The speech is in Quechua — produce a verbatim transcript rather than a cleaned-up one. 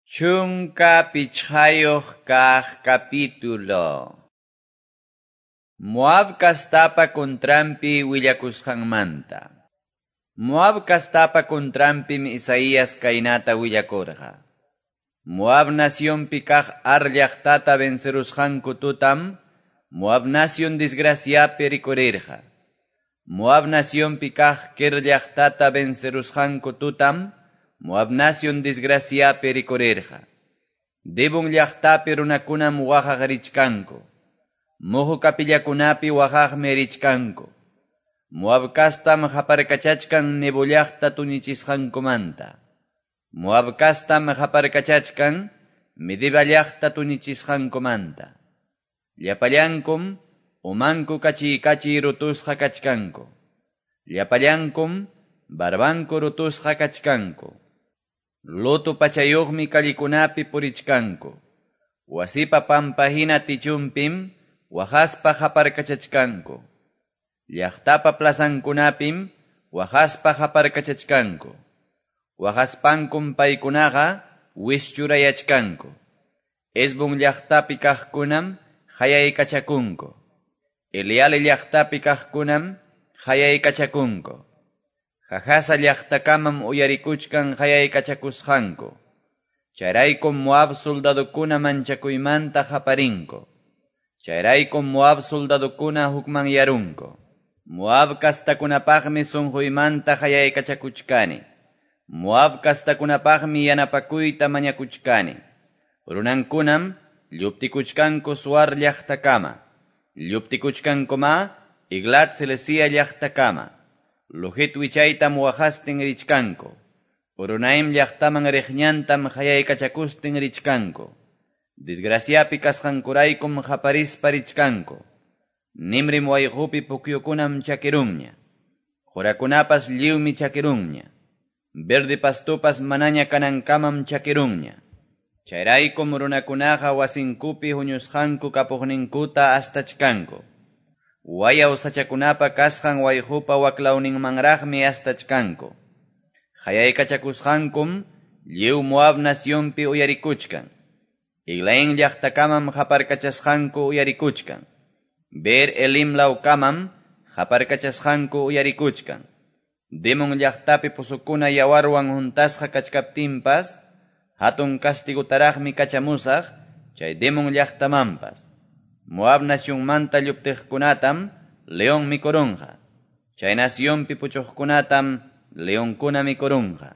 Chunka pichqayuq kaq capítulo. Moab kastapa contranpi willakusqanmanta. Moab kastapa contranpim Isaías kaynata willakurqa. Moab nacionpi kaq Ar llaqtata vencerusqanku tutam, Moab nacion desgraciapi rikurirqa. Moab nacionpi kaq Kir llaqtata vencerusqanku tutam, Moab nacion desgraciapi rikurirqa. Dibon llaqtapi runakunam waqaq richkanku. Muhu kapillakunapi waqaqmi richkanku. Moab kastam qaparkachachkan Nebo llaqta tuñichisqankumanta. Moab kastam qaparkachachkan Medeba llaqta tuñichisqankumanta. Llapallankum umanku kachiy-kachiy rutusqa kachkanku. Llapallankum barbanku rutusqa kachkanku. Luto pachayuqmi kallikunapi purichkanku. Wasipa pampahina tichumpim waqaspa qaparkachachkanku. Llaqtapa plazankunapim waqaspa qaparkachachkanku. Waqaspankum paykunaqa wischurayachkanku. Hesbon llaqtapi kaqkunam hayaykachakunku. Eleale llaqtapi kaqkunam hayaykachakunku. Jahaza llaqtakamam uyarikuchkan hayaykachakusqanku. Chayraykum Moab soldadokuna manchakuymanta qaparinku. Chayraykum Moab soldadokuna hukmanyarunku. Moab kastakunapaqmi sunquymanta hayaykachakuchkani. Moab kastakunapaqmi yanapakuyta mañakuchkani. Runankunam lluptikuchkanku Zoar llaqtakama. Lluptikuchkankuma Eglat Selesia llaqtakama. Luhit wichaytam waqastin richkanku. Horonaim llaqtaman riqñantam hayaykachakustin richkanku. Desgraciapi kasqankuraykum qaparispa richkanku. Nimrim wayqupi pukyukunam chakirunña. Qurakunapas lliwmi chakirunña. Verde pastupas manaña kanankamam chakirunña. Chayraykum runakunaqa wasinkupi huñusqanku kapuqninkuta astachkanku. Wayaw sachakunapa kasqan wayqupa waklawninmanraqmi astachkanku. Hayaykachakusqankum lliw Moab nacionpi uyarikuchkan. Eglaín llaqtakamam qaparkachasqanku uyarikuchkan. Ber Elim lawkamam qaparkachasqanku uyarikuchkan. Dimon llaqtapi pusukuna yawarwan huntasqa kachkaptinpas, hatun castigutaraqmi kachamusaq chay Dimon llaqtamanpas. Moab nacionmanta lluptiqkunatam león mikurunqa. Chay nacionpi puchuqkunatam leonkuna mikurunqa.